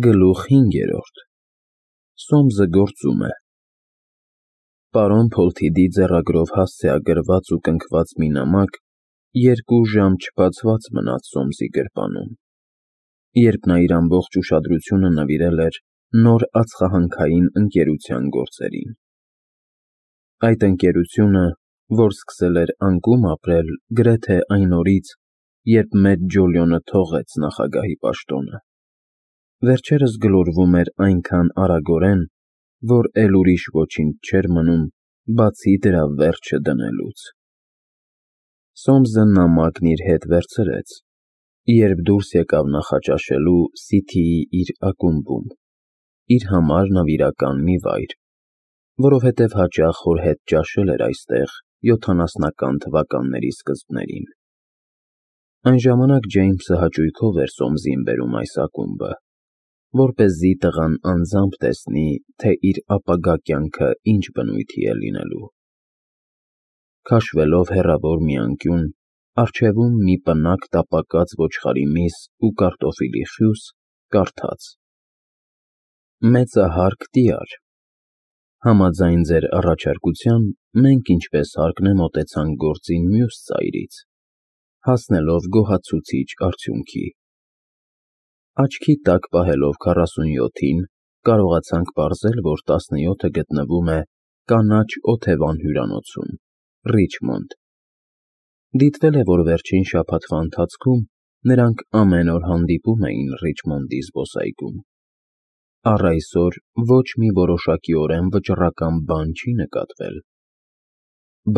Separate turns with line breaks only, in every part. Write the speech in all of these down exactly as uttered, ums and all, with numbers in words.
Գլուխ հինգերորդ Սոմսը գործում է Պարոն Փոլթիդի ձեռագրով հասցեագրված ու կնքված մի նամակ երկու ժամ չբացված մնաց Սոմսի գրպանում, երբ նա իր ամբողջ ուշադրությունը նվիրել էր նոր ածխահանքային ընկերության գործերին։ Այդ ընկերությունը, որ սկսել էր անկում ապրել գրեթե այն օրից, երբ մեծ Ջոլիոնը թողեց նախագահի պաշտոնը, վերջերս գլորվում էր այնքան արագորեն, որ էլ ուրիշ ոչինչ չէր մնում, բացի դրա վերջը դնելուց։ Սոմսը նամակն իր հետ վերցրեց, երբ դուրս եկավ նախաճաշելու Սիթիի իր ակումբում, իր համար նվիրական մի վայր, որովհետև հաճախ հոր հետ ճաշել էր այստեղ յոթանասնական թվականների սկզբներին։ Այն ժամանակ Ջեյմսը հաճույքով էր Սոմսին բերում այս ակումբը, որպեսզի տղան անձամբ տեսնի, թե իր ապագա կյանքը ինչ բնույթի է լինելու։ Քաշվելով հեռավոր մի անկյուն, առջևում մի պնակ տապակած ոչխարի միս ու կարտոֆիլի խյուս, կարդաց. Մեծահարկ տյար, համաձայն ձեր առաջարկության, մենք ինչպես հարկն է մոտեցանք գործին մյուս ծայրից, հասնելով գոհացուցիչ արդյունքի։ Աչքի տակ պահելով քառասունյոթին, կարողացանք պարզել, որ տասնյոթը գտնվում է Կանաչ օթևան հյուրանոցում, Ռիչմոնդ։ Դիտվել է, որ վերջին շաբաթվա ընթացքում նրանք ամեն օր հանդիպում էին Ռիչմոնդի զբոսայգում։ Առ այսօր ոչ մի որոշակիորեն վճռական բան չի նկատվել։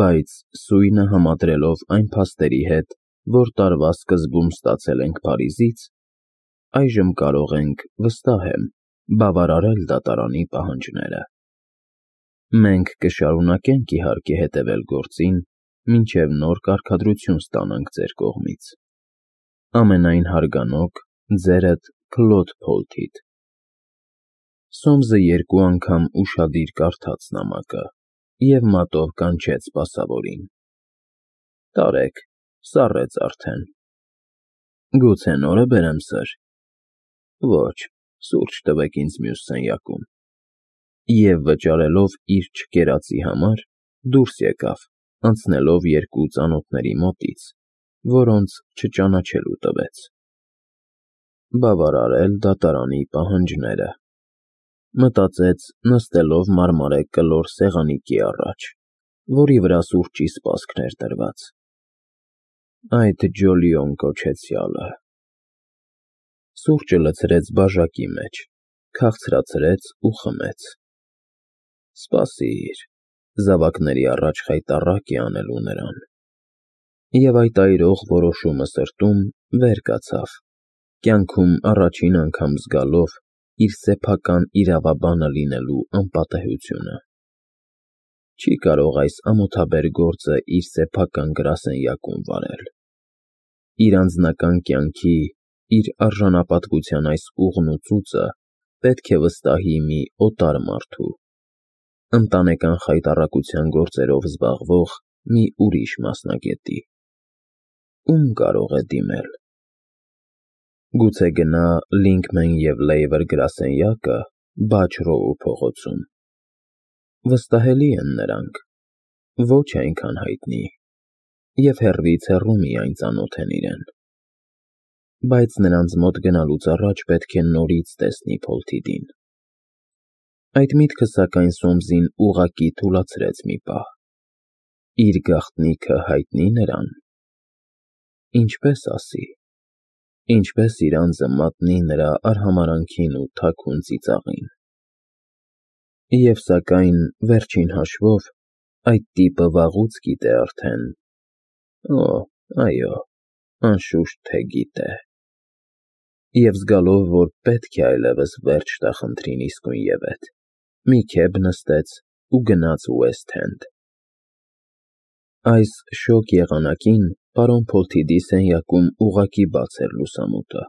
Բայց սույնը համադրելով այն փաստերի հետ, որ տարվա սկզբում ստացել ենք Փարիզից, այժմ կարող ենք, վստահ եմ, բավարարել դատարանի պահանջները։ Մենք կշարունակենք իհարկե հետևել գործին, մինչև նոր կարգադրություն ստանանք ձեր կողմից։ Ամենայն հարգանոք, ձերդ Քլոդ Փոլթիդ։ Սոմսը երկու անգամ ուշադիր կարդաց նամակը և մատով կանչեց սպասավորին. Տարեք, սառեց արդեն։ Գուցե նորը բերեմ, սըր։ Ոչ, սուրճ տվեք ինձ մյուս սենյակում։ Եվ վճարելով իր չկերածի համար, դուրս եկավ, անցնելով երկու ծանոթների մոտից, որոնց չճանաչելու տվեց։ Բավարարել դատարանի պահանջները, մտածեց, նստելով մարմարե կլոր սեղանիկի առաջ, որի վրա սուրճի սպասքն էր դրված։ Այդ Ջոլիոն կոչեցյալը… Սուրճը լցրեց բաժակի մեջ, քաղցրացրեց ու խմեց։ Սպասիր, զավակների առաջ խայտառակ է անելու նրան։ Եվ այդ այրող որոշումը սրտում վեր կացավ, կյանքում առաջին անգամ զգալով իր սեփական իրավաբանը լինելու անպատեհությունը։ Չի կարող այս ամոթաբեր գործը իր սեփական գրասենյակում վարել։ Իր անձնական կյանքի, իր արժանապատվության այս ուղն ու ծուծը պետք է վստահի մի օտար մարդու, ընտանեկան խայտառակության գործերով զբաղվող մի ուրիշ մասնագետի։ Ում կարող է դիմել։ Գուցե գնա Լինքմեն և Լեյվեր գրասենյակը Բաչ Ռոու փողոցում։ Վստահելի են նրանք, ոչ այնքան հայտնի, և հեռվից հեռու միայն ծանոթ են իրեն։ Բայց նրանց մոտ գնալուց առաջ պետք է նորից տեսնի Փոլթիդին։ Այդ միտքը, սակայն, Սոմսին ուղղակի թուլացրեց մի պահ։ Իր գաղտնիքը հայտնի՞ նրան։ Ինչպե՞ս ասի։ Ինչպե՞ս իր անձը մատնի նրա արհամարհանքին ու թաքուն ծիծաղին։ Եվ սակայն, վերջին հաշվով, այդ տիպը վաղուց գիտե արդեն… Օ, այո, անշուշտ թե գիտե։ Եվ զգալով, որ պետք է այլևս վերջ տա խնդրին իսկույնևեթ, մի քեֆ նստեց ու գնաց Ուեսթ Էնդ։ Այս շոգ եղանակին պարոն Փոլթիդի սենյակում ուղղակի բաց էր լուսամուտը,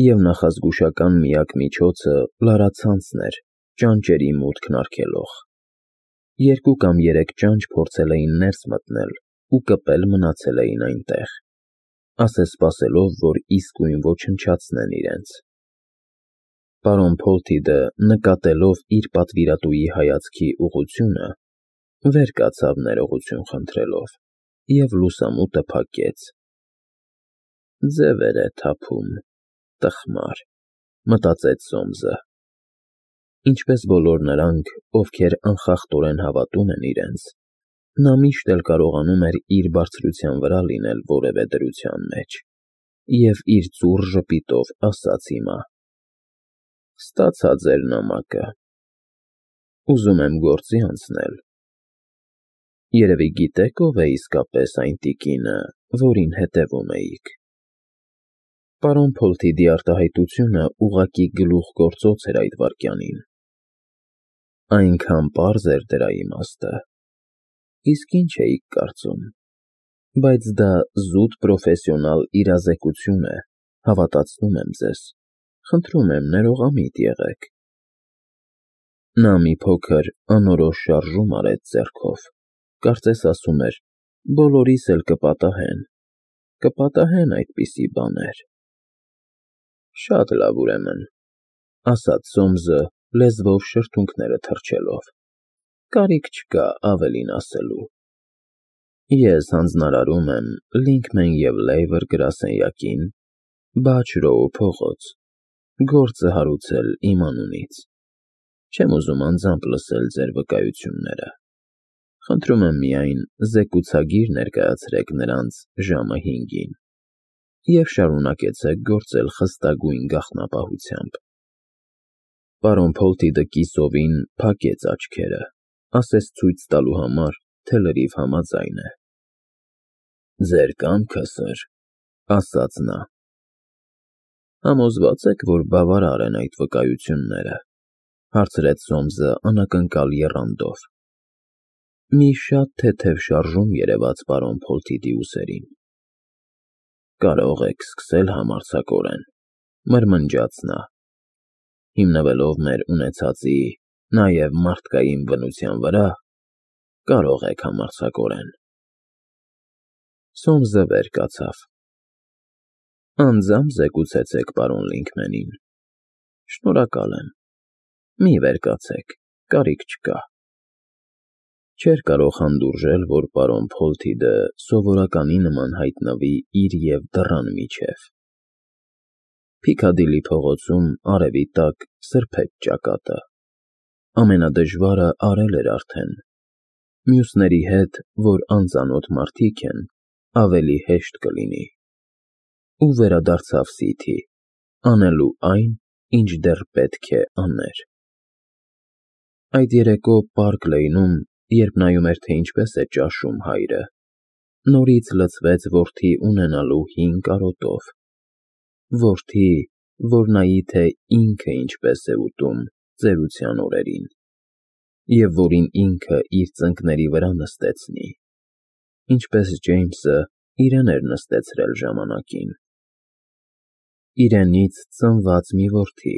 և նախազգուշական միակ միջոցը լարացանցն էր ճանճերի մուտքն արգելող։ Երկու կամ երեք ճանճ փորձել էին ներս մտնել ու կպել մնացել էին այնտեղ, ասես սպասելով, որ իսկույն ոչնչացնեն իրենց։ Պարոն Փոլթիդը, նկատելով իր պատվիրատուի հայացքի ուղղությունը, վեր կացավ ներողություն խնդրելով և լուսամուտը փակեց։ «Ձևեր է թափում, տխմար», մտածեց Սոմսը։ Ինչպես բոլոր նրանք, ովքեր անխախտորեն հավատում են իրենց, նա միշտ էլ կարողանում էր իր բարձրության վրա լինել որևէ դրության մեջ, և իր ծուռ ժպիտով ասաց հիմա. «Ստացա ձեր նամակը, ուզում եմ գործի անցնել։ Երևի գիտեք ով է իսկապես այն տիկինը, որին հետևում էիք»։ Պարոն Փոլթիդի արտահայտությունը ուղղակի գլուխգործոց էր այդ վայրկյանին։ Այնքան պարզ էր դրա իմաստը։ Իսկ ինչ էիք կարծում։ Բայց դա զուտ պրոֆեսիոնալ իրազեկություն է, հավատացնում եմ ձեզ։ Խնդրում եմ, ներողամիտ եղեք։ Նա մի փոքր անորոշ շարժում արեց ձեռքով, կարծես ասում էր. բոլորիս էլ կպատահեն, կպատահեն այդպիսի բաներ։ Շատ լավ, ուրեմն, ասաց Սոմսը, լեզվով շրթունքները թռչելով, կարիք չկա ավելին ասելու։ Ես հանձնարարում եմ Լինքմեն և Լեյվեր գրասենյակին, Բաչ Ռոու փողոց, գործը հարուցել իմ անունից։ Չեմ ուզում անձամբ լսել ձեր վկայությունները։ Խնդրում եմ միայն զեկուցագիր ներկայացրեք նրանց ժամը հինգին և շարունակեցեք գործել խստագույն գաղտնապահությամբ։ Պարոն Փոլթիդը կիսովին փակեց աչքերը, ասես ցույց տալու համար, թե լրիվ համաձայն է։ Ձեր կամքը, սըր, ասաց նա։ Համոզվա՞ծ եք, որ բավարար են այդ վկայությունները, հարցրեց Սոմսը անակնկալ եռանդով։ Մի շատ թեթև շարժում երևաց պարոն Փոլթիդի ուսերին։ Կարող եք սկսել համարձակորեն, մրմնջաց նա, հիմնվելով մեր ունեցածի, նաև մարդկային բնության վրա, կարող եք համարձակորեն։ Սոմսը վեր կացավ։ Անձամբ զեկուցեցեք պարոն Լինքմենին։ Շնորհակալ եմ։ Մի վեր կացեք, կարիք չկա։ Չէր կարող հանդուրժել, որ պարոն Փոլթիդը սովորականի նման հայտնվի իր և դռան միջև։ Փիքադիլի փողոցում արևի տակ սրբեց ճակատը։ Ամենադժվարը արել էր արդեն։ Մյուսների հետ, որ անծանոթ մարդիկ են, ավելի հեշտ կլինի։ Ու վերադարձավ Սիթի, անելու այն, ինչ դեռ պետք է աներ։ Այդ երեկո Պարկ Լեյնում, երբ նայում էր, թե ինչպես է ճաշում հայրը, նորից լցվեց որդի ունենալու հին կարոտով։ Որդի, որ նայի, թե ինքը ինչպես է ուտում ծերության օրերին, և որին ինքը իր ծնկների վրա նստեցնի, ինչպես Ջեյմսը իրեն էր նստեցրել ժամանակին։ Իրենից ծնված մի որդի,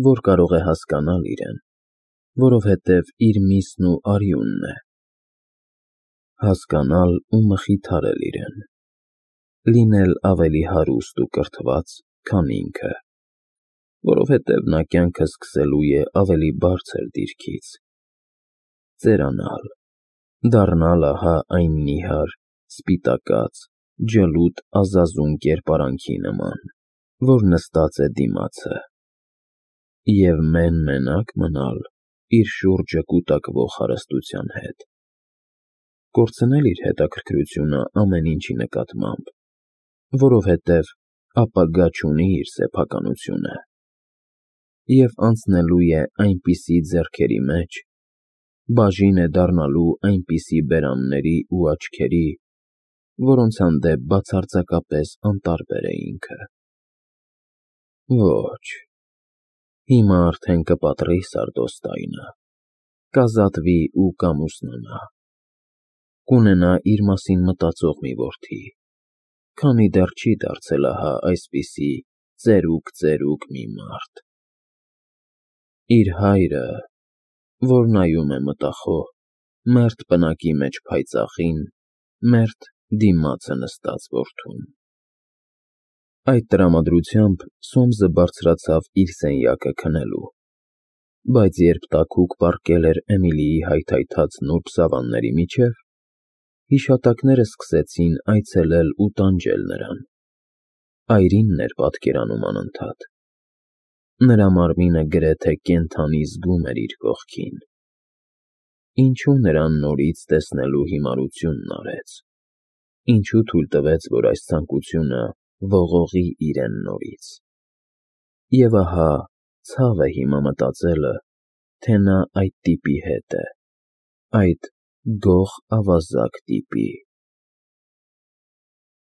որ կարող է հասկանալ իրեն, որովհետև իր միսն ու արյունն է։ Հասկանալ ու մխիթարել իրեն։ Լինել ավելի հարուստ ու կրթված, քան ինքը, որովհետև նա կյանքը սկսելու է ավելի բարձր դիրքից։ Ծերանալ, դառնալ ահա այն նիհար, սպիտակած, ջլուդ ազազուն կերպարանքի նման, որ նստած է դիմացը, և մեն֊մենակ մնալ իր շուրջը կուտակվող հարստության հետ։ Կորցնել իր հետաքրքրությունը ամեն ինչի նկատմամբ, որովհետև ապագա չունի իր սեփականությունը, և անցնելու է այնպիսի ձեռքերի մեջ, բաժին է դառնալու այնպիսի բերանների ու աչքերի, որոնց հանդեպ բացարձակապես անտարբեր է ինքը։ Ոչ, հիմա արդեն կպատրի սարդոստայնը, կազատվի ու կամուսնանա, կունենա իր մասին մտածող մի որդի, քանի դեռ չի դարձել ահա այսպիսի ծերուկ-ծերուկ մի մարդ։ Իր հայրը, որ նայում է մտախոհ, մերթ պնակի մեջ փայծաղին, մերթ դիմացը նստած որդուն։ Այդ տրամադրությամբ Սոմսը բարձրացավ իր սենյակը քնելու, բայց երբ տաքուկ պառկել էր Էմիլիի հայթայթած նուրբ սավանների միջև, հիշատակները սկսեցին այցելել ու տանջել նրան. այրինն էր պատկերանում անընդհատ, նրա մարմինը գրեթե կենդանի զգում էր իր կողքին, ինչու նրան նորից տեսնելու հիմարությունն արեց, ինչու թույլ տվեց, որ այս ցանկությունը ողողի իրեն նորից, և ահա ցավ է հիմա մտածելը, թե նա այդ տիպի հետ է, այդ գող ավազակ տիպի։